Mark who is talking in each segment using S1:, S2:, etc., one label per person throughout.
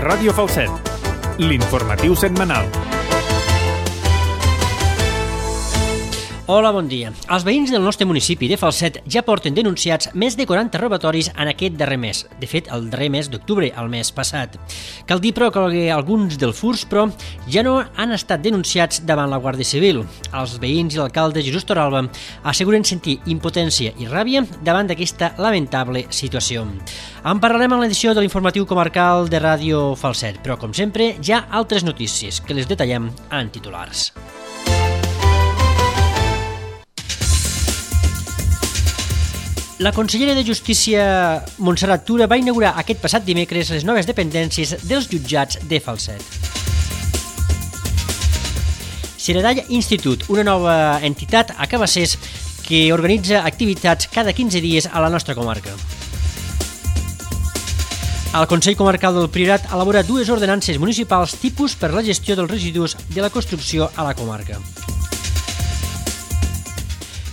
S1: Ràdio Falset, l'informatiu setmanal.
S2: Hola, bon dia. Els veïns del nostre municipi de Falset ja porten denunciats més de 40 robatoris en aquest darrer mes. De fet, el darrer mes d'octubre, el mes passat. Cal dir, però, que alguns dels furts, però, ja no han estat denunciats davant la Guàrdia Civil. Els veïns i l'alcalde Jesús Torralba asseguren sentir impotència i ràbia davant d'aquesta lamentable situació. En parlarem en l'edició de l'informatiu comarcal de Ràdio Falset, però, com sempre, hi ha altres notícies que les detallem en titulars. La consellera de Justícia, Montserrat Tura, va inaugurar aquest passat dimecres les noves dependències dels jutjats de Falset. Seredall Institut, una nova entitat a Cabassers que organitza activitats cada 15 dies a la nostra comarca. El Consell Comarcal del Priorat elabora dues ordenances municipals tipus per la gestió dels residus de la construcció a la comarca.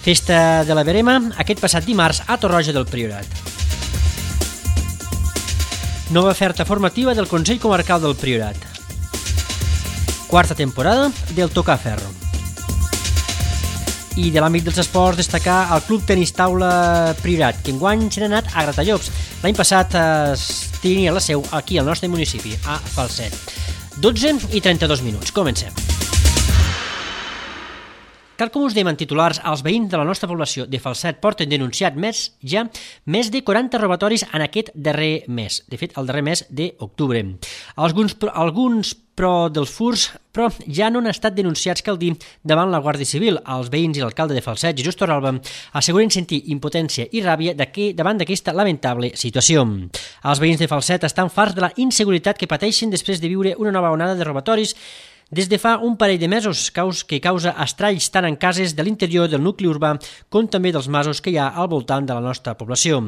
S2: Festa de la Verema, aquest passat dimarts a Torroja del Priorat. Nova oferta formativa del Consell Comarcal del Priorat. Quarta temporada del Tocar Ferro. I de l'àmbit dels esports destacar el Club Tenis Taula Priorat, que enguany s'ha anat a Gratallops. L'any passat tenia la seu aquí al nostre municipi, a Falset. 12:32. Comencem. Tal com us dèiem en titulars, els veïns de la nostra població de Falset porten denunciat més de 40 robatoris en aquest darrer mes. De fet, el darrer mes d'octubre. Alguns però dels furts però ja no han estat denunciats, cal dir, davant la Guàrdia Civil. Els veïns i l'alcalde de Falset, Jesús Torralba, asseguren sentir impotència i ràbia davant d'aquesta lamentable situació. Els veïns de Falset estan farts de la inseguretat que pateixen després de viure una nova onada de robatoris des de fa un parell de mesos, que causa estralls tant en cases de l'interior del nucli urbà com també dels masos que hi ha al voltant de la nostra població.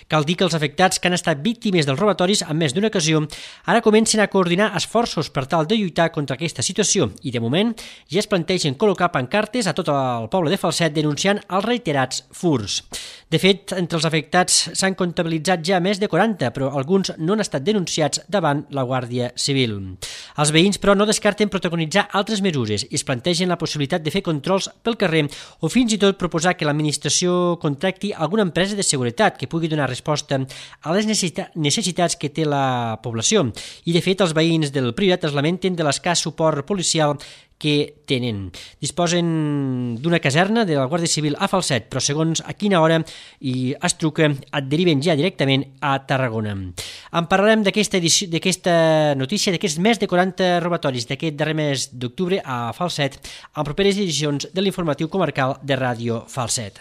S2: Cal dir que els afectats que han estat víctimes dels robatoris en més d'una ocasió ara comencen a coordinar esforços per tal de lluitar contra aquesta situació i, de moment, ja es plantegen col·locar pancartes a tot el poble de Falset denunciant els reiterats furts. De fet, entre els afectats s'han comptabilitzat ja més de 40, però alguns no han estat denunciats davant la Guàrdia Civil. Els veïns, però, no descarten protagonitzar altres mesures i es plantegen la possibilitat de fer controls pel carrer o fins i tot proposar que l'administració contracti alguna empresa de seguretat que pugui donar resposta a les necessitats que té la població. I, de fet, els veïns del Priorat es lamenten de l'escàs suport policial que tenen. Disposen d'una caserna de la Guàrdia Civil a Falset, però segons a quina hora i es truca et deriven ja directament a Tarragona. En parlarem d'aquesta notícia, d'aquests més de 40 robatoris d'aquest darrer mes d'octubre a Falset, en properes edicions de l'informatiu comarcal de Ràdio Falset.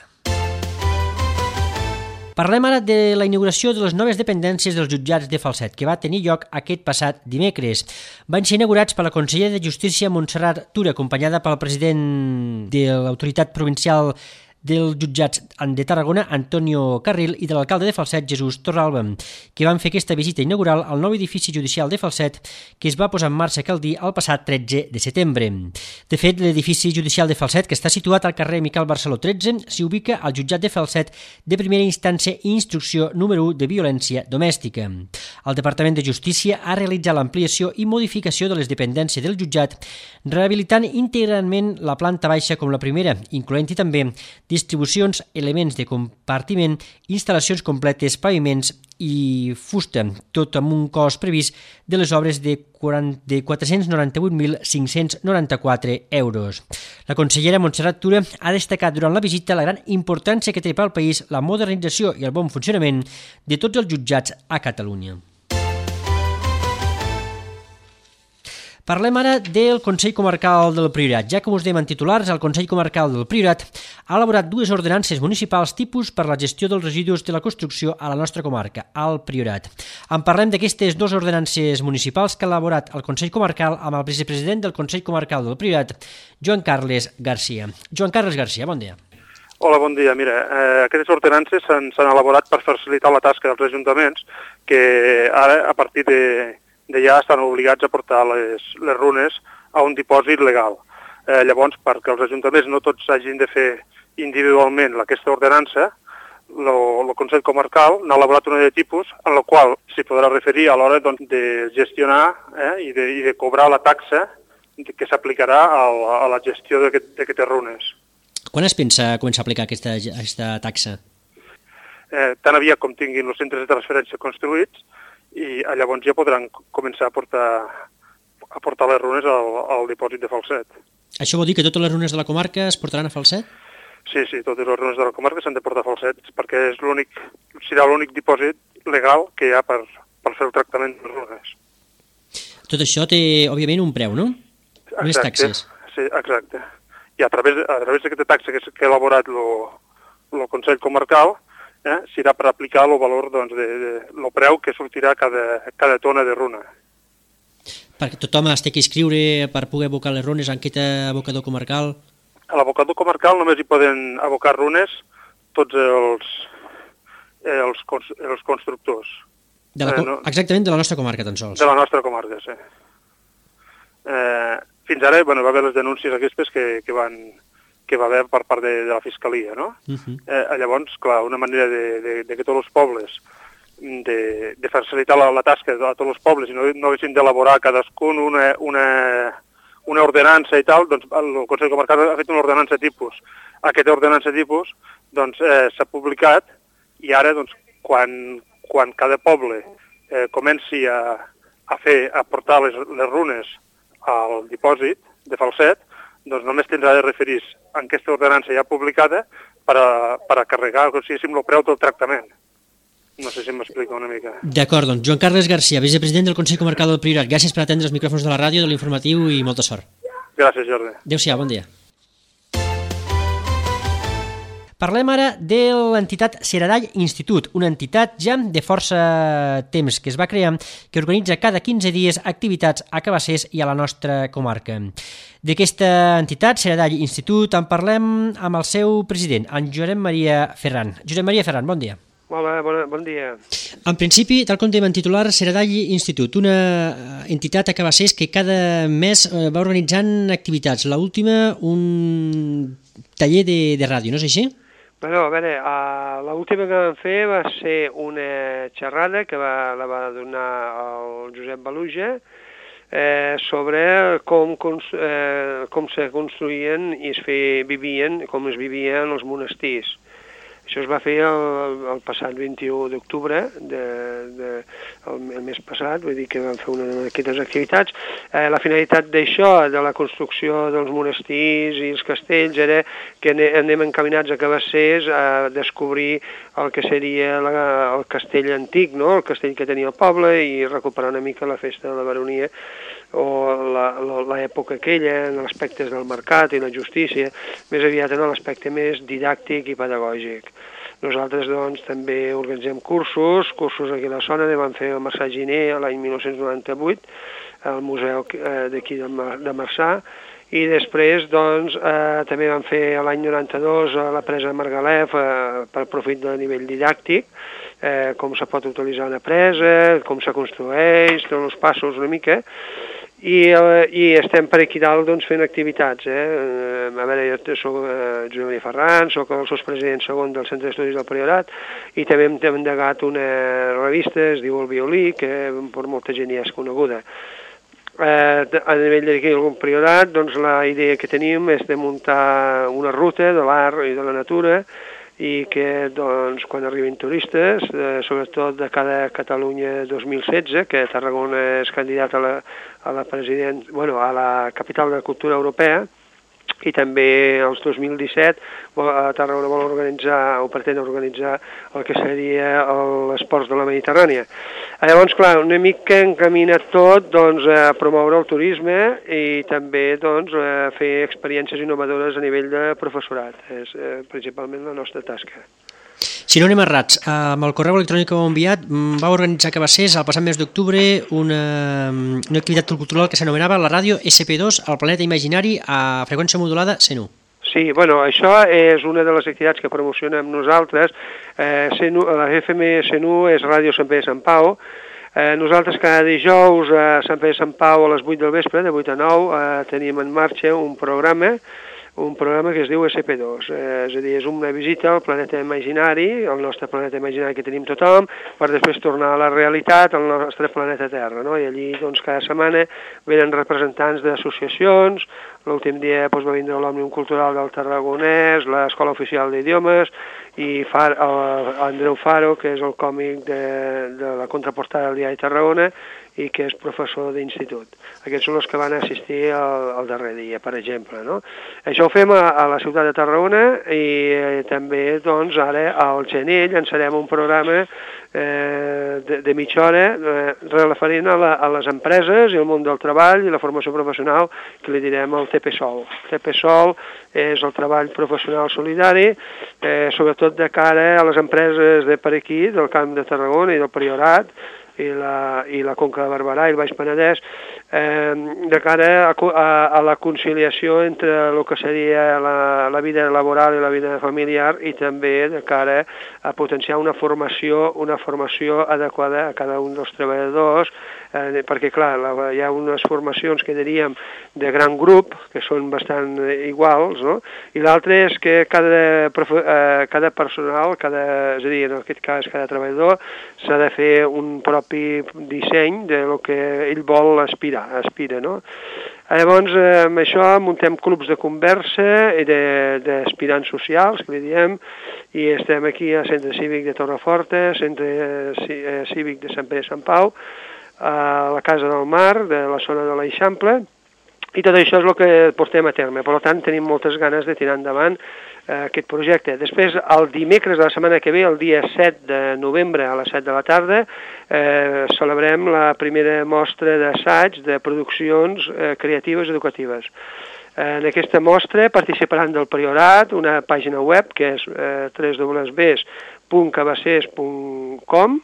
S2: Parlem ara de la inauguració de les noves dependències dels jutjats de Falset, que va tenir lloc aquest passat dimecres. Van ser inaugurats per la consellera de Justícia, Montserrat Tura, acompanyada pel president de l'autoritat provincial dels jutjats de Tarragona, Antonio Carril, i de l'alcalde de Falset, Jesús Torralba, que van fer aquesta visita inaugural al nou edifici judicial de Falset, que es va posar en marxa, cal dir, el passat 13 de setembre. De fet, l'edifici judicial de Falset, que està situat al carrer Miquel Barceló 13, s'hi ubica al jutjat de Falset de primera instància i instrucció número 1 de violència domèstica. El Departament de Justícia ha realitzat l'ampliació i modificació de les dependències del jutjat, rehabilitant integralment la planta baixa com la primera, incloent-hi també distribucions, elements de compartiment, instal·lacions completes, paviments i fusta, tot amb un cost previst de les obres de 498.594 euros. La consellera Montserrat Tura ha destacat durant la visita la gran importància que té pel país la modernització i el bon funcionament de tots els jutjats a Catalunya. Parlem ara del Consell Comarcal del Priorat. Ja com us dèiem en titulars, el Consell Comarcal del Priorat ha elaborat dues ordenances municipals tipus per la gestió dels residus de la construcció a la nostra comarca, al Priorat. En parlem d'aquestes dues ordenances municipals que ha elaborat el Consell Comarcal amb el vicepresident del Consell Comarcal del Priorat, Joan Carles Garcia. Joan Carles Garcia, bon dia.
S3: Hola, bon dia. Mira, aquestes ordenances s'han elaborat per facilitar la tasca dels ajuntaments que ara, a partir de ja estan obligats a portar les runes a un dipòsit legal. Llavors, perquè els ajuntaments no tots hagin de fer individualment aquesta ordenança, el Consell Comarcal n'ha elaborat una de tipus en la qual s'hi podrà referir a l'hora de gestionar i de cobrar la taxa que s'aplicarà a la gestió d'aquestes runes.
S2: Quan es pensa començar a aplicar aquesta taxa?
S3: Tan aviat com tinguin els centres de transferència construïts i llavors ja podran començar a portar les runes al dipòsit de Falset.
S2: Això vol dir que totes les runes de la comarca es portaran a Falset?
S3: Sí, totes les runes de la comarca s'han de portar a Falset perquè serà l'únic dipòsit legal que hi ha per fer el tractament de les runes.
S2: Tot això té, òbviament, un preu, no? Unes taxes.
S3: Sí, exacte. I a través d'aquesta taxa que ha elaborat el Consell Comarcal, serà per aplicar el valor del preu que sortirà cada tona de runa.
S2: Perquè tothom es té que inscriure per poder abocar les runes en aquest abocador comarcal?
S3: A l'abocador comarcal només hi poden abocar runes tots els constructors.
S2: Exactament de la nostra comarca, tan sols.
S3: De la nostra comarca, sí. Fins ara va haver les denúncies aquestes que va haver per part de la Fiscalia, no? Llavors, clar, una manera de que tots els pobles, de facilitar la tasca a tots els pobles i no haguessin d'elaborar cadascun una ordenança i tal, doncs el Consell Comarcal ha fet una ordenança tipus. Aquesta ordenança tipus s'ha publicat i ara, quan cada poble comenci a portar les runes al dipòsit de Falset, doncs només tindrà de referir a aquesta ordenança ja publicada per a carregar, el preu del tractament. No sé si m'explica una mica.
S2: D'acord, doncs Joan Carles Garcia, vicepresident del Consell Comarcal del Priorat. Gràcies per atendre els micròfons de la ràdio, de l'informatiu i molta sort.
S3: Gràcies, Jordi.
S2: Adéu-siau, bon dia. Parlem ara de l'entitat Seradall Institut, una entitat ja de força temps que es va crear, que organitza cada 15 dies activitats a Cabassers i a la nostra comarca. D'aquesta entitat, Seradall Institut, en parlem amb el seu president, en Josep Maria Ferran. Josep Maria Ferran, bon dia.
S4: Hola, bon dia.
S2: En principi, tal com dèiem en titular, Seradall Institut, una entitat a Cabassers que cada mes va organitzant activitats. L'última, un taller de ràdio, no és així?
S4: Bueno, a veure, l'última que vam fer va ser una xerrada que la va donar el Josep Baluja sobre com se construïen i com es vivien els monestirs. Això es va fer el passat 21 d'octubre, el mes passat, vull dir que vam fer una d'aquestes activitats. La finalitat d'això, de la construcció dels monestirs i els castells, era que anem encaminats a Cabassers a descobrir el que seria el castell antic, no? El castell que tenia el poble, i recuperar una mica la festa de la baronia o l'època aquella, en els aspectes del mercat i la justícia, més aviat en l'aspecte més didàctic i pedagògic. Nosaltres, doncs, també organitzem cursos aquí a la zona. Vam fer el Marçà Giner l'any 1998 al museu d'aquí de Marçà, i després, doncs, també vam fer l'any 92 a la presa de Margalef per profit del nivell didàctic, com se pot utilitzar una presa, com se construeix, tots els passos una mica, i estem per aquí dalt, doncs, fent activitats. A veure, jo soc Josep Maria Ferran, soc el sotspresident segon del Centre d'Estudis del Priorat, i també hem endegat una revista, es diu El Violí, que per molta gent ja és coneguda. A nivell d'aquí del Priorat, doncs, la idea que tenim és de muntar una ruta de l'art i de la natura, i que, doncs, quan arribin turistes, sobretot de cada Catalunya 2016, que Tarragona és candidat a la capital de la cultura europea, i també els 2017 Tarragona vol organitzar o pretén organitzar el que seria l'Esports de la Mediterrània. Llavors, clar, una mica encaminat tot, doncs, a promoure el turisme i també, doncs, a fer experiències innovadores a nivell de professorat. És principalment la nostra tasca.
S2: Si no anem errats, amb el correu electrònic que heu enviat, va organitzar a Cabassers el passat mes d'octubre una activitat cultural que s'anomenava la ràdio SP2 al planeta imaginari a freqüència modulada 101.
S4: Sí, bueno, això és una de les activitats que promocionem nosaltres. La FM 101 és Ràdio Sant Pere de Sant Pau. Nosaltres cada dijous a Sant Pere de Sant Pau a les 8 del vespre, de 8 a 9, tenim en marxa un programa un programa que es diu SP2, és a dir, és una visita al planeta imaginari, al nostre planeta imaginari que tenim tothom, per després tornar a la realitat, al nostre planeta Terra, no? I allí, doncs, cada setmana venen representants d'associacions, l'últim dia va vindre l'Òmnium Cultural del Tarragonès, l'Escola Oficial d'Idiomes, i Andreu Faro, que és el còmic de la contraportada del diari Tarragona, i que és professor d'institut. Aquests són els que van assistir al darrer dia, per exemple, no? Això ho fem a la ciutat de Tarragona i també, doncs, ara al gener llançarem un programa de mitja hora referent a les empreses i el món del treball i la formació professional, que li direm el TPSOL. TPSOL és el treball professional solidari, sobretot de cara a les empreses de per aquí, del Camp de Tarragona i del Priorat, i la Conca de Barberà i el Baix Penedès, de cara a la conciliació entre el que seria la vida laboral i la vida familiar, i també de cara a potenciar una formació adequada a cada un dels treballadors, perquè clar, hi ha unes formacions que diríem de gran grup, que són bastant iguals, no? I l'altre és que cada personal, és a dir, en aquest cas cada treballador, s'ha de fer un propi disseny de lo que ell vol aspira, no? Llavors, amb això muntem clubs de conversa i d'aspirants socials, que li diem, i estem aquí al Centre Cívic de Torreforta, Centre Cívic de Sant Pere i Sant Pau, a la Casa del Mar, de la zona de l'Eixample, i tot això és el que portem a terme. Per tant, tenim moltes ganes de tirar endavant aquest projecte. Després, el dimecres de la setmana que ve, el dia 7 de novembre a les 7 de la tarda, celebrem la primera mostra d'assaig de produccions creatives educatives. En aquesta mostra participaran del Priorat, una pàgina web que és www.cabassers.com,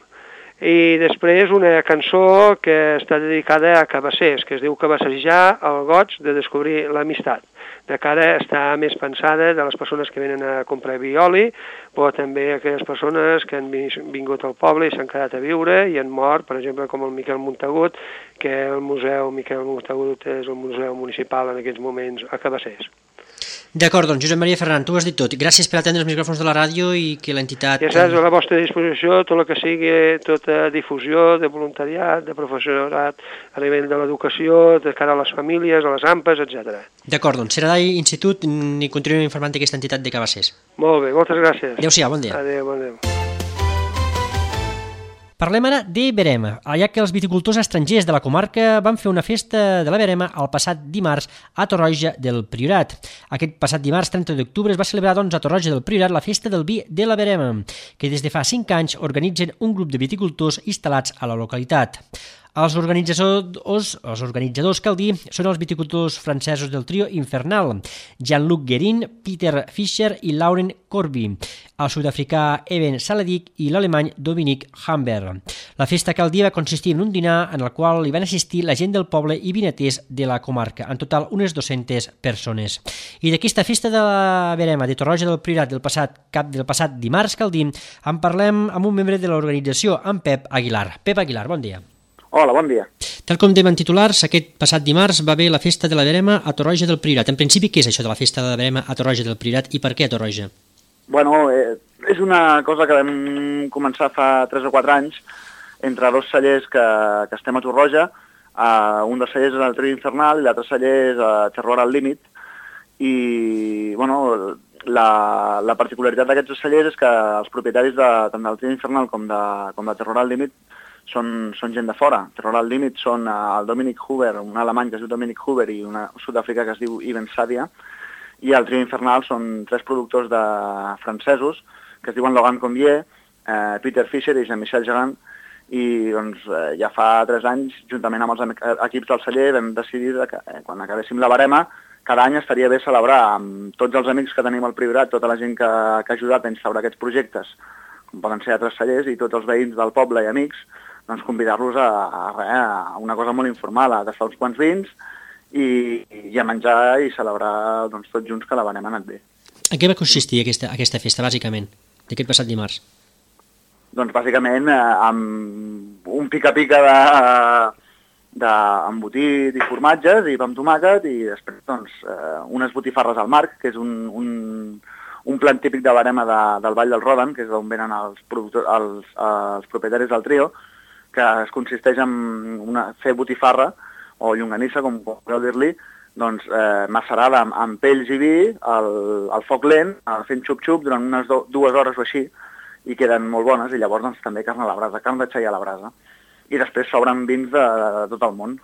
S4: i després una cançó que està dedicada a cabassers, que es diu Cabassejar el goig de descobrir l'amistat. De cara a estar més pensada de les persones que venen a comprar vi i oli, però també aquelles persones que han vingut al poble i s'han quedat a viure i han mort, per exemple, com el Miquel Montagut, que el Museu Miquel Montagut és el museu municipal en aquests moments a Cabassers.
S2: D'acord, doncs Josep Maria Ferran, tu ho has dit tot. Gràcies per atendre els micròfons de la ràdio i que l'entitat...
S4: Ja saps, a la vostra disposició, tot el que sigui, tota difusió de voluntariat, de professorat, a nivell de l'educació, de cara a les famílies, a les AMPAs, etc.
S2: D'acord, doncs serà d'Institut i continuem informant d'aquesta entitat de Cabassers.
S4: Molt bé, moltes gràcies.
S2: Adéu-siau, bon dia.
S4: Adéu, bon dia.
S2: Parlem ara de Verema, ja que els viticultors estrangers de la comarca van fer una festa de la Verema el passat dimarts a Torroja del Priorat. Aquest passat dimarts 30 d'octubre es va celebrar doncs, a Torroja del Priorat la festa del vi de la Verema, que des de fa 5 anys organitzen un grup de viticultors instal·lats a la localitat. Els organitzadors, cal dir, són els viticultors francesos del trio Infernal, Jean-Luc Guérin, Peter Fischer i Lauren Corby, el sud-africà Eben Saladic i l'alemany Dominic Hamber. La festa, cal dir, va consistir en un dinar en el qual hi van assistir la gent del poble i vinaters de la comarca, en total unes 200 persones. I d'aquesta festa de la Verema de Torroja del Priorat del passat dimarts, cal dir, en parlem amb un membre de l'organització, en Pep Aguilar. Pep Aguilar, bon dia.
S5: Hola, bon dia.
S2: Tal com dèiem en titulars, aquest passat dimarts va haver la festa de la Verema a Torroja del Priorat. En principi, què és això de la festa de la Verema a Torroja del Priorat i per què a Torroja?
S5: Bueno, és una cosa que vam començar fa 3 o 4 anys entre 2 cellers que estem a Torroja. Un dels cellers és el Trio Infernal i l'altre celler és Terror al Límit. I, bueno, la particularitat d'aquests cellers és que els propietaris tant del Trio Infernal com de Terror al Límit són gent de fora. Terror al Límit són el Dominic Huber, un alemany que es diu Dominic Huber i un sud-africà que es diu Ivan Sadia, i el Trio Infernal són 3 productors francesos que es diuen Logan Combier, Peter Fischer i Jean-Michel Jarrin, i doncs, ja fa 3 anys, juntament amb els equips del celler, vam decidir que quan acabéssim la Verema, cada any estaria bé celebrar amb tots els amics que tenim al Priorat, tota la gent que ha ajudat a instaurar aquests projectes, com poden ser altres cellers i tots els veïns del poble i amics, doncs convidar-los a una cosa molt informal, a tastar uns quants vins i a menjar i celebrar doncs, tots junts que la Verema ha anat bé.
S2: En què va consistir aquesta festa, bàsicament, d'aquest passat dimarts?
S5: Doncs bàsicament amb un pica-pica d'embotit i formatges i pa amb tomàquet, i després doncs, unes botifarres al marc, que és un plat típic de Verema del Vall del Rodan, que és d'on venen els propietaris del trio, que es consisteix en fer botifarra, o llonganissa, com podeu dir-li, doncs, macerada amb pells i vi, al foc lent, fent xup-xup durant unes 2 hores o així, i queden molt bones, i llavors doncs, també carn a la brasa, carn de xai a la brasa. I després s'obren vins de tot el món,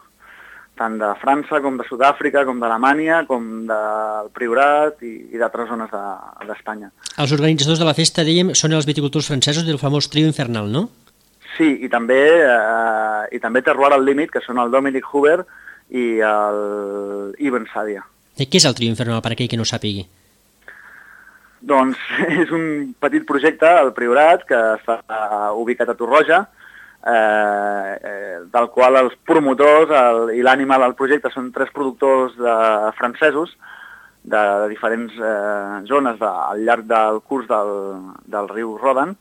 S5: tant de França com de Sud-àfrica, com d'Alemanya, com del Priorat i d'altres zones d'Espanya.
S2: Els organitzadors de la festa, dèiem, són els viticultors francesos del famós trio infernal, no?
S5: Sí, i també Terroir al límit, que són el Dominic Huber i el Ibn Sadia.
S2: Què és el trio infernal, per aquell que no sàpigui?
S5: Doncs és un petit projecte, el Priorat, que està ubicat a Torroja, del qual els promotors i l'ànima del projecte són 3 productors francesos de diferents zones al llarg del curs del riu Rodan,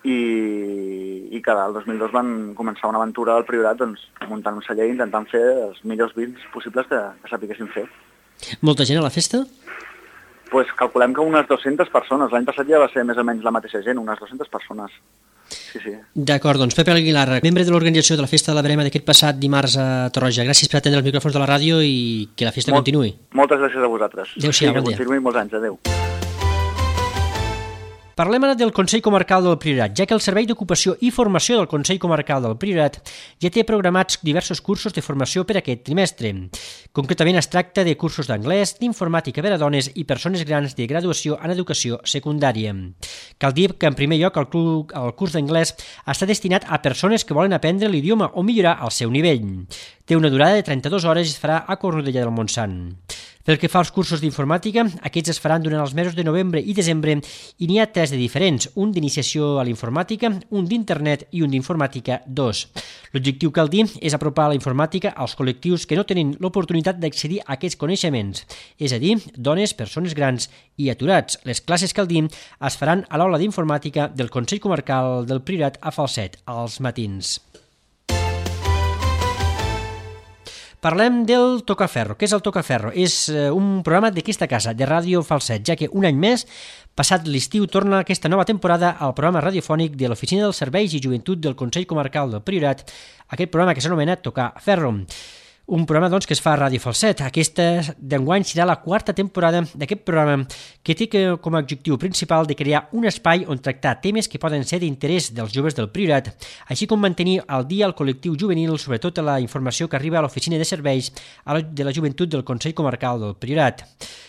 S5: i que el 2002 van començar una aventura al Priorat, doncs, muntant un celler i intentant fer els millors vins possibles que sapiguessin fer.
S2: Molta gent a la festa?
S5: Pues calculem que unes 200 persones. L'any passat ja va ser més o menys la mateixa gent, unes 200 persones. Sí.
S2: D'acord, doncs Pepe Aguilar, membre de l'organització de la Festa de la Verema d'aquest passat dimarts a Torroja. Gràcies per atendre els micròfons de la ràdio i que la festa continuï.
S5: Moltes gràcies a vosaltres.
S2: Adéu-siau, bon dia.
S5: Que continuï molts anys. Adéu.
S2: Parlem ara del Consell Comarcal del Priorat, ja que el Servei d'Ocupació i Formació del Consell Comarcal del Priorat ja té programats diversos cursos de formació per aquest trimestre. Concretament es tracta de cursos d'anglès, d'informàtica per a dones i persones grans de graduació en educació secundària. Cal dir que, en primer lloc, el curs d'anglès està destinat a persones que volen aprendre l'idioma o millorar el seu nivell. Té una durada de 32 hores i es farà a Cornudella del Montsant. Pel que fa als cursos d'informàtica, aquests es faran durant els mesos de novembre i desembre i n'hi ha 3 de diferents, un d'iniciació a la informàtica, un d'internet i un d'informàtica 2. L'objectiu, cal dir, és apropar la informàtica als col·lectius que no tenen l'oportunitat d'accedir a aquests coneixements, és a dir, dones, persones grans i aturats. Les classes, cal dir, es faran a l'aula d'informàtica del Consell Comarcal del Priorat a Falset, als matins. Parlem del Tocaferro. Què és el Tocaferro? És un programa d'aquesta casa, de Ràdio Falset, ja que un any més, passat l'estiu, torna aquesta nova temporada al programa radiofònic de l'Oficina dels Serveis i Joventut del Consell Comarcal del Priorat, aquest programa que s'anomena Tocaferro. Un programa doncs, que es fa a Ràdio Falset. Aquesta d'enguany serà la 4ª temporada d'aquest programa, que té com a objectiu principal de crear un espai on tractar temes que poden ser d'interès dels joves del Priorat, així com mantenir al dia el col·lectiu juvenil sobre tota la informació que arriba a l'Oficina de Serveis de la Joventut del Consell Comarcal del Priorat.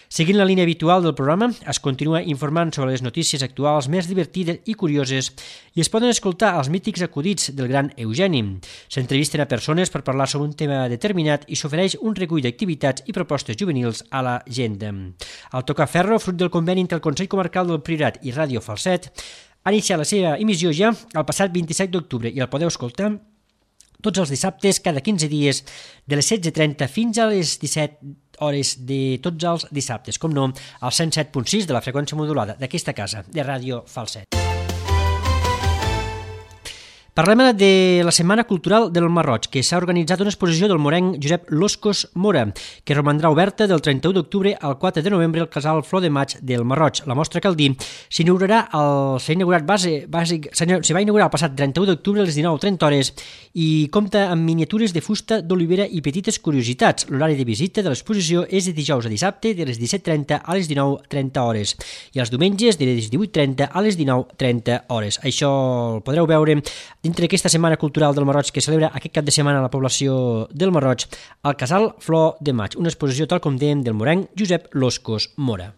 S2: Seguint la línia habitual del programa, es continua informant sobre les notícies actuals més divertides i curioses i es poden escoltar els mítics acudits del gran Eugeni. S'entrevisten a persones per parlar sobre un tema determinat i s'ofereix un recull d'activitats i propostes juvenils a la gent. El Tocaferro, fruit del conveni entre el Consell Comarcal del Priorat i Ràdio Falset, ha iniciat la seva emissió ja el passat 27 d'octubre i el podeu escoltar tots els dissabtes, cada 15 dies, de les 16:30 fins a les 17 hores de tots els dissabtes, com no, al 107.6 de la freqüència modulada d'aquesta casa, de Ràdio Falset. Parlem ara de la Setmana Cultural del Marroig, que s'ha organitzat una exposició del morenc Josep Loscos Mora, que romandrà oberta del 31 d'octubre al 4 de novembre al Casal Flor de Maig del Marroig. La mostra, cal dir, s'ha inaugurat el passat 31 d'octubre a les 19:30 hores i compta amb miniatures de fusta d'olivera i petites curiositats. L'horari de visita de l'exposició és de dijous a dissabte de les 17:30 a les 19:30 hores i els diumenges de les 18:30 a les 19:30 hores. Això el podreu veure dintre aquesta Setmana Cultural del Marroig que celebra aquest cap de setmana a la població del Marroig al Casal Flor de Maig, una exposició, tal com dèiem, del morenc Josep Loscos Mora.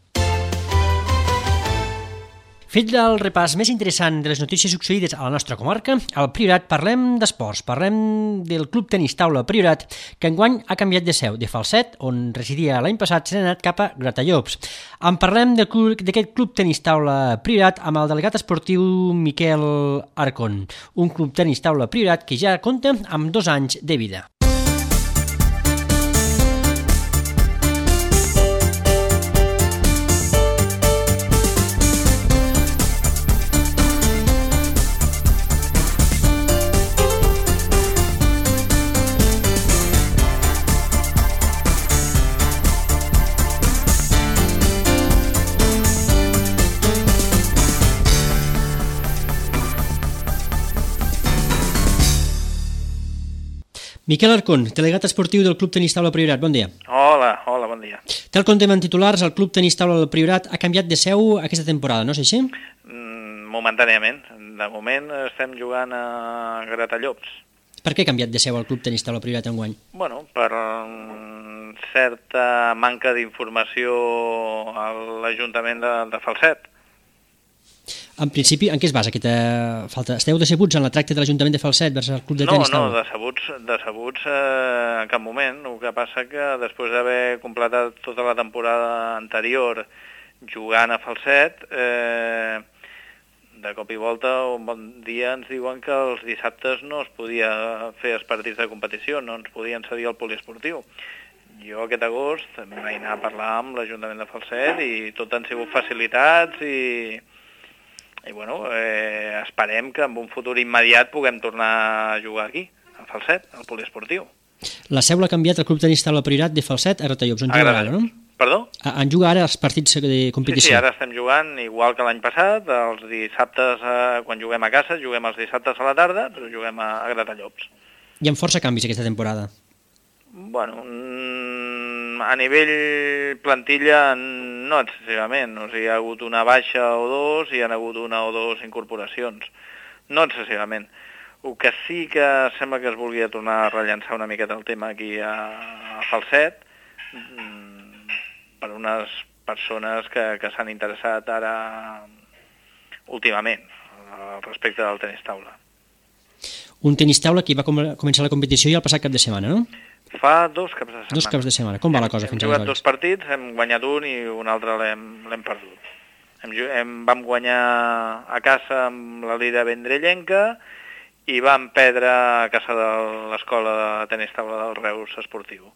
S2: Fet el repàs més interessant de les notícies succeïdes a la nostra comarca, al Priorat parlem d'esports, parlem del Club Tenis Taula Priorat, que enguany ha canviat de seu, de Falset, on residia l'any passat, s'ha anat cap a Gratallops. En parlem d'aquest Club Tenis Taula Priorat amb el delegat esportiu Miquel Arcon, un Club Tenis Taula Priorat que ja compta amb 2 anys de vida. Miquel Arcón, delegat esportiu del Club Tenis Taula Priorat, bon dia.
S6: Hola, bon dia.
S2: Tal com tenim en titulars, el Club Tenis Taula del Priorat ha canviat de seu aquesta temporada, no és així?
S6: Momentàniament. De moment estem jugant a Gratallops.
S2: Per què ha canviat de seu el Club Tenis Taula Priorat enguany?
S6: Bueno, per certa manca d'informació a l'Ajuntament de Falset.
S2: En principi, en què es basa aquesta falta? Esteu decebuts en la tracte de l'Ajuntament de Falset vers el Club de Tenis Taula?
S6: No, decebuts en cap moment. El que passa que després d'haver completat tota la temporada anterior jugant a Falset, de cop i volta, un bon dia ens diuen que els dissabtes no es podia fer els partits de competició, no ens podien cedir el poliesportiu. Jo aquest agost em vaig anar a parlar amb l'Ajuntament de Falset i tot han sigut facilitats i bueno, esperem que en un futur immediat puguem tornar a jugar aquí, a Falset, al poliesportiu.
S2: La seu l'ha canviat el Club Tenis Taula Priorat de Falset a Gratallops, on juga ara, no?
S6: Perdó?
S2: En juga ara els partits de competició.
S6: Sí, ara estem jugant igual que l'any passat, els dissabtes, quan juguem a casa, juguem els dissabtes a la tarda, però juguem a Gratallops.
S2: Hi ha força canvis aquesta temporada.
S6: Bueno, a nivell plantilla no excessivament, o sigui, hi ha hagut una baixa o dos i hi ha hagut una o dos incorporacions, no excessivament. El que sí que sembla que es volia tornar a rellançar una miqueta el tema aquí a Falset, per unes persones que s'han interessat ara últimament respecte del tenis taula.
S2: Un tenis taula que va començar la competició ja el passat cap de setmana, no?
S6: Fa 2 caps de setmana.
S2: 2 caps de setmana. Com va la cosa fins aleshores?
S6: Hem jugat 2 partits, hem guanyat un i un altre l'hem perdut. Vam guanyar a casa amb la líder vendrellenca i vam perdre a casa de l'escola de tenis taula del Reus Esportiu.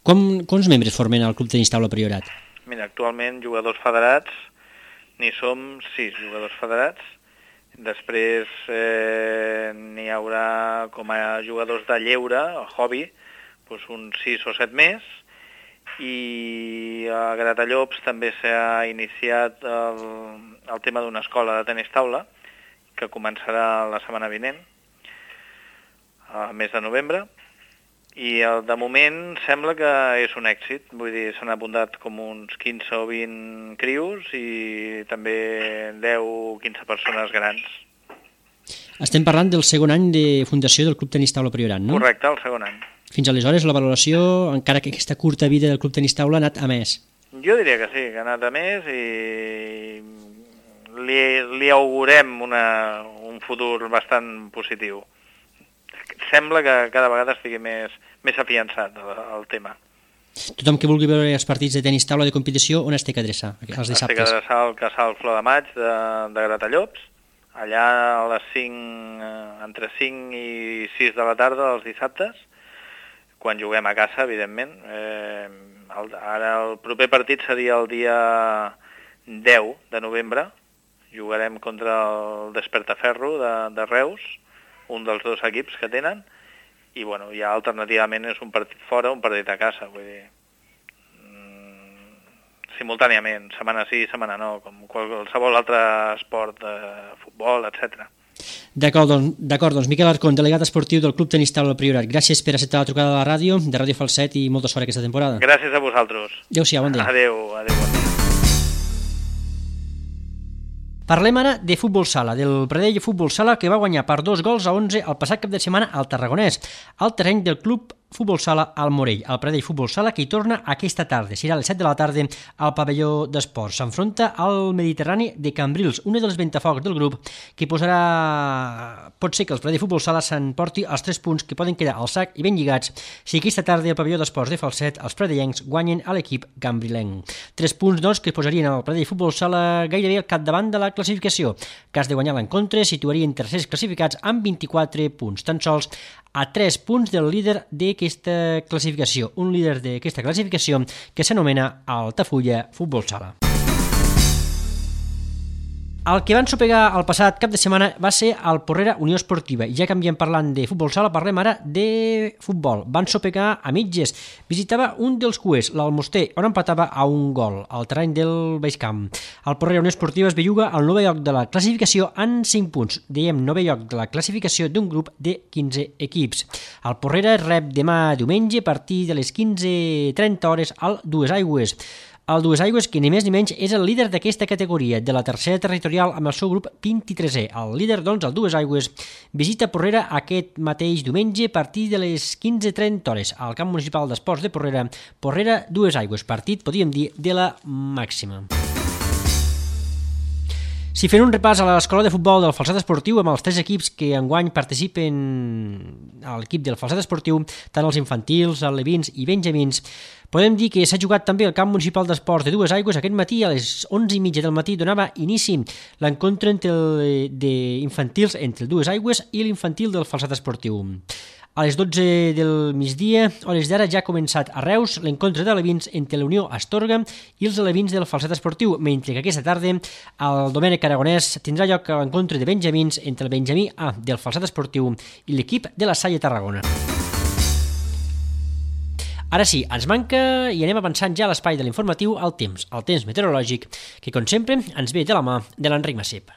S2: Quants membres formen el Club Tenis Taula Priorat?
S6: Mira, actualment jugadors federats, n'hi som 6 jugadors federats. Després n'hi haurà com a jugadors de lleure, el hobby, doncs uns 6 o 7 més. I a Gratallops també s'ha iniciat el tema d'una escola de tenis taula, que començarà la setmana vinent, al mes de novembre. I de moment sembla que és un èxit, vull dir, s'han apuntat com uns 15 o 20 crios i també 10 o 15 persones grans.
S2: Estem parlant del segon any de fundació del Club Tenis Taula Priorat, no?
S6: Correcte, el segon any.
S2: Fins aleshores la valoració, encara que aquesta curta vida del Club Tenis Taula, ha anat a més.
S6: Jo diria que sí, que ha anat a més i li augurem un futur bastant positiu. Sembla que cada vegada estigui més afiançat el tema.
S2: Tothom que vulgui veure els partits de tenis taula de competició, on es té que adreçar els dissabtes?
S6: Es té que adreçar al Casal Flor de Maig de Gratallops, allà a les 5, entre 5 i 6 de la tarda els dissabtes, quan juguem a casa, evidentment. Ara el proper partit seria el dia 10 de novembre, jugarem contra el Despertaferro de Reus, un dels 2 equips que tenen, i bueno, ja alternativament és un partit fora, un partit a casa, vull dir, simultàniament, setmana sí, setmana no, com qualsevol altre esport, futbol, etc.
S2: D'acord, doncs Miquel Arcón, delegat esportiu del Club Tenis Taula Priorat, gràcies per acceptar la trucada de la ràdio, de Ràdio Falset, i molta sort aquesta temporada.
S6: Gràcies a vosaltres.
S2: Adéu-siau, bon dia.
S6: Adéu, bon dia.
S2: Parlem ara de futbol sala, del Pradell Futbol Sala, que va guanyar per 2-11 el passat cap de setmana al Tarragonès, al terreny del Club Futbol Sala al Morell. El Pradell Futbol Sala, que hi torna aquesta tarda, serà a les 7 de la tarda al pavelló d'esports. S'enfronta al Mediterrani de Cambrils, un dels ventafocs del grup, que posarà... Pot ser que el Pradell Futbol Sala s'emporti els 3 punts que poden quedar al sac i ben lligats si aquesta tarda al pavelló d'esports de Falset els pradellencs guanyen a l'equip cambrilenc. 3 punts, doncs, que posarien el Pradell Futbol Sala gairebé al capdavant de la classificació. Cas de guanyar l'encontre, situarien tercers classificats amb 24 punts, tan sols a 3 punts del líder d'aquesta classificació, un líder d'aquesta classificació que s'anomena Altafulla Futbol Sala. El que van sopegar el passat cap de setmana va ser el Porrera Unió Esportiva. Ja canviem parlant de futbol sala, parlem ara de futbol. Van sopegar a mitges. Visitava un dels cuers, l'Almoster, on empatava a un gol, al terreny del Baix Camp. El Porrera Unió Esportiva es belluga al 9è lloc de la classificació en 5 punts. Diem 9è lloc de la classificació d'un grup de 15 equips. El Porrera rep demà diumenge a partir de les 15:30 hores al Duesaigües. El Duesaigües, que ni més ni menys és el líder d'aquesta categoria, de la tercera territorial amb el seu grup 23è. El líder, doncs, el Duesaigües, visita Porrera aquest mateix diumenge a partir de les 15:30 hores al camp municipal d'esports de Porrera. Porrera Duesaigües, partit, podríem dir, de la màxima. Si fent un repàs a l'escola de futbol del Falset Esportiu amb els 3 equips que enguany participen a l'equip del Falset Esportiu, tant els infantils, alevins i benjamins, podem dir que s'ha jugat també al camp municipal d'esports de Duesaigües. Aquest matí a les 11:30 del matí donava inici l'encontre d'infantils entre el Duesaigües i l'infantil del Falset Esportiu. A les 12 del migdia, hores d'ara, ja ha començat a Reus l'encontre d'alevins entre la Unió Astorga i els alevins del Falset Esportiu, mentre que aquesta tarda el Domènec Aragonès tindrà lloc l'encontre de benjamins entre el Benjamí A del Falset Esportiu i l'equip de la Salle Tarragona. Ara sí, ens manca i anem avançant ja a l'espai de l'informatiu el temps meteorològic, que com sempre ens ve de la mà de l'Enric Massip.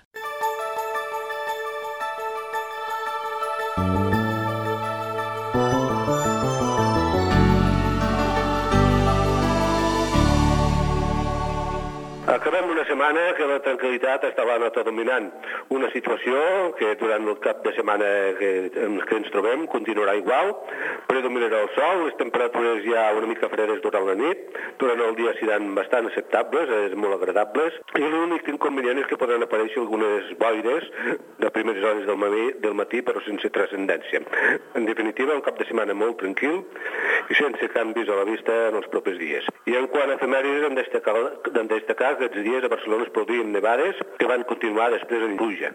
S7: Acabem una setmana que la tranquil·litat està la nota dominant. Una situació que durant el cap de setmana que ens trobem continuarà igual, predominarà el sol, les temperatures ja una mica fredes durant la nit, durant el dia seran bastant acceptables, molt agradables, i l'únic inconvenient és que poden aparèixer algunes boires de primeres hores del matí, però sense transcendència. En definitiva, un cap de setmana molt tranquil i sense canvis a la vista en els propers dies. I en quant a efemèrides, hem de destacar que aquests dies a Barcelona es produïen nevades que van continuar després en pluja.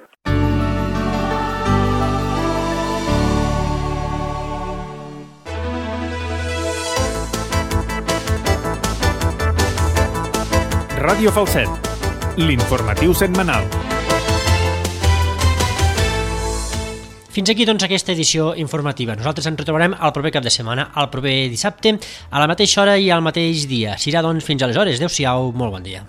S1: Ràdio Falset, l'informatiu setmanal.
S2: Fins aquí, doncs, aquesta edició informativa. Nosaltres ens retrobarem el proper cap de setmana, el proper dissabte, a la mateixa hora i al mateix dia. Serà, doncs, fins aleshores. Adéu-siau, molt bon dia.